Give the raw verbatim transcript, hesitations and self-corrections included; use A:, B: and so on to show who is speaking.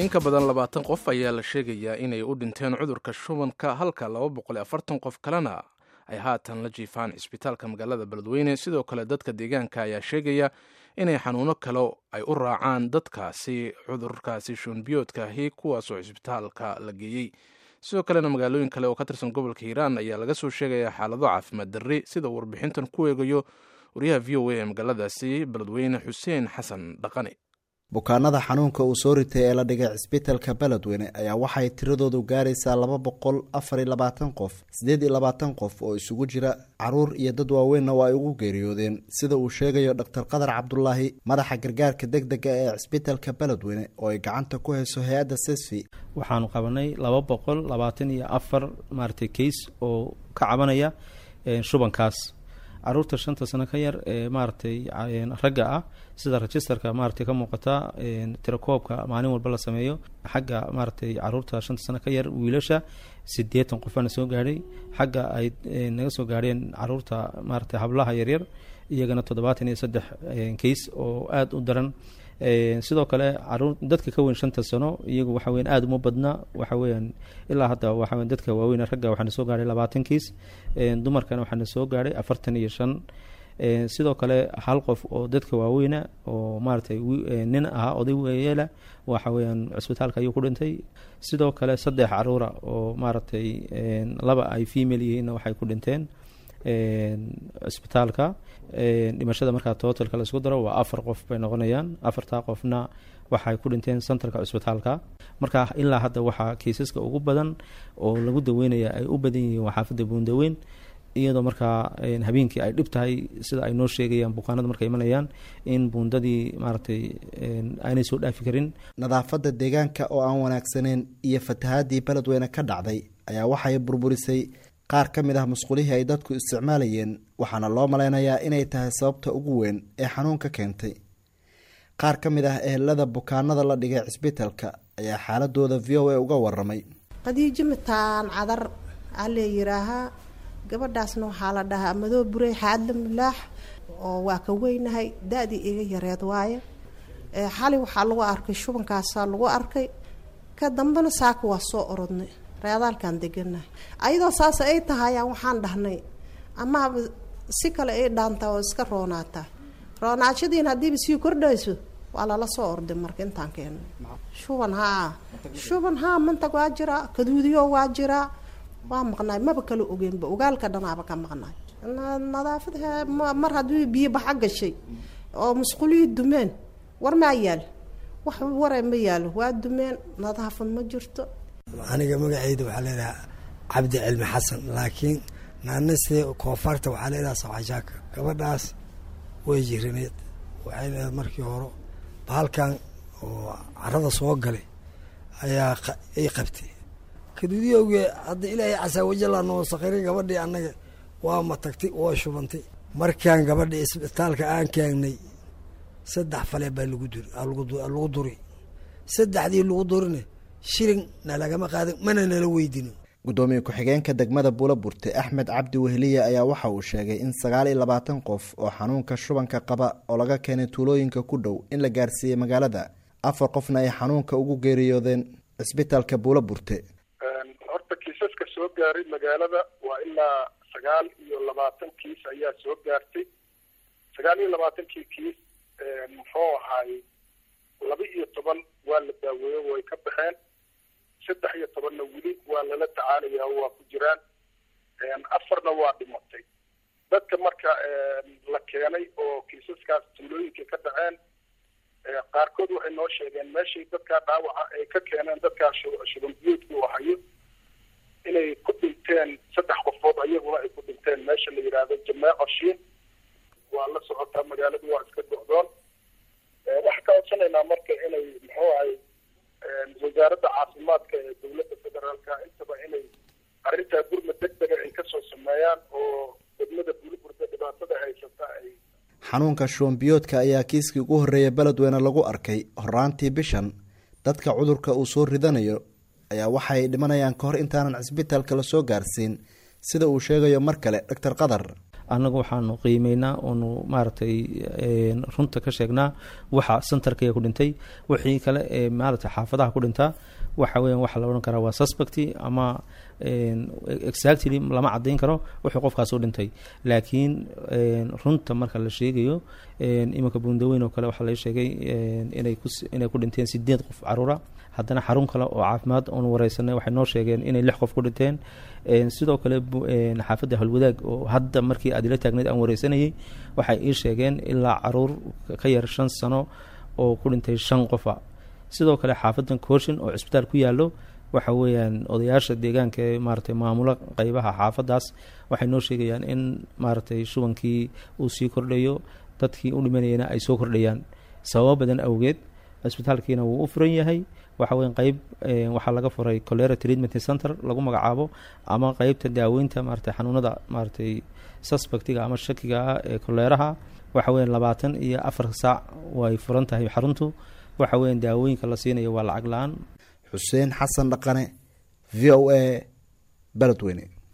A: In ka badan labaatan qof ayaa la sheegayaa inay u dhinteen cudurka shubanka, halka laba boqol iyo afartan qof kalena ay haatan la jiifaan cisbitaalka magaalada Beledweyne. Sidoo kale dadka deegaanka ayaa sheegaya inay xanuuno kale ay u raacaan dadkaasi cudurkaasi shuunbiyoodkaahi, kuwaasoo cisbitaalka la geeyey. Sidoo kalena magaalooyin kale oo ka tirsan gobolka Hiiraan ayaa laga soo sheegayaa xaalado caafimaad darri, sida uu warbixintan ku eegayo wariyaha V O A ee magaaladaasi Beledweyne, Xuseen Xasan Dhaqane.
B: Bukaanada xanuunka uu soo ritay ee la dhigay cisbitalka Beledweyne ayaa waxay tiradoodu gaaraysaa laba boqol afar iyo labaatan qof. Sideed iyo labaatan qof oo isugu jira caruur iyo dad waaweynna waa ay ugu geeriyoodeen, sida uu sheegayo Dhaktar Qadar Cabdulaahi, madaxa gargaarka degdega ee cisbitalka Beledweyne oo ay gacanta ku hayso hay-adda Sesfi.
C: Waxaanu qabanay laba boqol labaatan iyo afar maaragtay case oo ka cabanaya shubankaas. Caruurta shanta sano ka yar ee maaragtay ragga ah, sida registerka maaragtay ka muuqata tirakoobka maalin walba la sameeyo, xagga maaragtay caruurta shanta sano ka yar wiilasha siddeetan qofaana soo gaadhay. Xagga ay naga soo gaadheen caruurta maaragtay hablaha yaryar iyagana toddobaatan iyo saddex case oo aada u daran. Sidoo kale caruur dadka ka weyn shanta sano iyagu waxa weyan aada uma badna. Waxa weeyaan ilaa hadda waxa weyan dadka waaweyn ragga waxaana soo gaadhay labaatan kiis, dumarkana waxaana soo gaadhay afartan iyo shan. Sidoo kale hal qof oo dadka waaweyna oo maaragtay nin ahaa oday weyeela waxa weeyaan cusbitaalka ayuu ku dhintay. Sidoo kale saddex caruura oo maaragtay laba ay female yihiinna waxay ku dhinteen cusbitaalka. Dhimashada markaa totalka la isku daro waa afar qof bay noqonayaan. Afartaa qofna waxay ku dhinteen centerka cusbitaalka. Marka ilaa hadda waxaa kiisaska ugu badan oo lagu daweynaya ay u badan yihiin waa xaafadda Buundaweyn, iyadoo markaa habeenkii ay dhib tahay, sida ay noo sheegayaan bukaanada markay imanayaan, in buundadii maaragtay aanay soo dhaafi karin.
B: Nadaafadda deegaanka oo aan wanaagsaneyn iyo fatahaadii Beledweyne ka dhacday ayaa waxay burburisay qaar ka mid ah musqulihii ay dadku isticmaalayeen, waxaana loo malaynayaa inay tahay sababta ugu weyn ee xanuunka keentay. Qaar ka mid ah ehelada bukaanada la dhigay cisbitalka ayaa xaaladooda V O A uga waramay.
D: Qadiijo Mitaan Cadar alee yiraahaa, gabadhaasna waxaa la dhahaa Madoo Burey Xaadla Mulaax, oo waa ka weynahay, da-dii iga yareed waaye. Xali waxaa lagu arkay shubankaasaa lagu arkay, ka dambena saaka waa soo orodnay reedaalkaan deganahay. Ayadoo saas ay tahayaan waxaan dhahnay amaaba si kale ay dhaantaa oo iska roonaataa, roonaashadiina haddiiba sii kordhayso waa lala soo orday. Marka intaan keennay shuban haa shuban haa mantag waa jiraa, kaduudiyo waa jiraa, waa maqnaay, maba kala ogeenba, ogaalka dhanaaba ka maqnaay. Nadaafad mar haddii biyo baxa gashay oo musqulihii dumeen, war maa yaalo, wax ware ma yaalo, waa dumeen, nadaafad ma jirto.
E: Aniga magaceyda waxaa leedaha Cabdi Cilmi Xasan, laakiin naanase koofaarta waxaa leedaha Sawxashaaka. Gabadhaas way jirineed, waxay leedahay markii hore bahalkan oo carada soo galay ayaa ay qabtay kaduudiyowge. Hadda Ilaahay casaa wajalla noo saqirin, gabadhii annaga waa matagtay, waa shubantay. Markaan gabadhii isbitaalka aan keenay saddex fale baa lagu duri lagu duri saddexdii lagu durina shilin na lagama qaadan, mana nala weydinin.
B: Gudoomiye ku-xigeenka degmada Buulaburte, Axmed Cabdi Weheliye, ayaa waxa uu sheegay in sagaal iyo labaatan qof oo xanuunka shubanka qaba oo laga keenay tuulooyinka ku dhow in la gaarsiiyey magaalada, afar qofna ay xanuunka ugu geeriyoodeen cisbitaalka Buulaburte.
F: Horta kiisaska soo gaaray magaalada waa ilaa sagaal iyo labaatan kiis ayaa soo gaartay. Sagaal iyo labaatankii kiis muxuu ahaay laba iyo toban waa la daaweeyo, way ka baxeen. Saddex iyo tobanna weli waa lala tacaalayaa, waa ku jiraan. Afarna waa dhimatay. Dadka marka la keenay oo kiisaskaas tuulooyinka ka dhaceen qaarkood waxay noo sheegeen meeshay dadkaa dhaawaca ay ka keeneen dadkaa shuban biyoodka uu hayo inay ku dhinteen saddex qofood, ayaguna ay ku dhinteen meesha la yidhaahdo Jameeco Shiin. Waa la socotaa, magaaladu waa iska go'doon. Waxaan ka codsanaynaa marka inay muxuu ahay wasaaradda caafimaadka ee dowladda federaalka intaba inay arrintaa gurmad degdega ay kasoo sameeyaan oo degmada Buulaburta dhibaatada haysata ay.
B: Xanuunka shubanbiyoodka ayaa kiiskii ugu horreeyay Beledweyne lagu arkay horaantii bishan. Dadka cudurka uu soo ridanayo ayaa waxay dhimanayaan kahor intaanan cisbitaalka lasoo gaarsiin, sida uu sheegayo mar kale Doctor Qadar.
C: Annagu waxaanu qiimeynaa oonu maaragtay runta ka sheegnaa waxa centerkaya ku dhintay. Wixii kale ee maaragtay xaafadaha ku dhintaa waxa weyan waxa la odhan karaa waa suspect ama exactly lama caddayn karo wuxuu qofkaas u dhintay. Laakiin runta marka la sheegayo, iminka Buundaweyn oo kale waxaa laga sheegay inay ku inay ku dhinteen sideed qof caruura. Haddana xarun kale oo caafimaad oonu wareysanay waxay noo sheegeen inay lix qof ku dhinteen. Sidoo kale xaafadda Halwadaag oo hadda markii aad ila taagnayd aan wareysanayay, waxay ii sheegeen ilaa caruur ka yar shan sano oo ku dhintay shan qofa. Sidoo kale xaafadan Kooshin oo cisbitaal ku yaallo, waxa weeyaan odayaasha deegaanka ee maaragtay maamulo qeybaha xaafadaas waxay noo sheegayaan in maaragtay shubankii uu sii kordhayo, dadkii u dhimanayana ay soo kordhayaan sababo badan awgeed. Cisbitaalkiina wuu u furan yahay. Waxa weyan qeyb waxaa laga furay cholera treatment center lagu magacaabo, ama qeybta daaweynta maaragtay xanuunada maaragtay suspectiga ama shakiga ah ee koleeraha. Waxa weyan labaatan iyo afar saac way furan tahay xaruntu. Waxa weyan daawooyinka la siinayo waa lacag la-aan.
B: Xuseen Xasan Dhaqane, V O A, Beledweyne.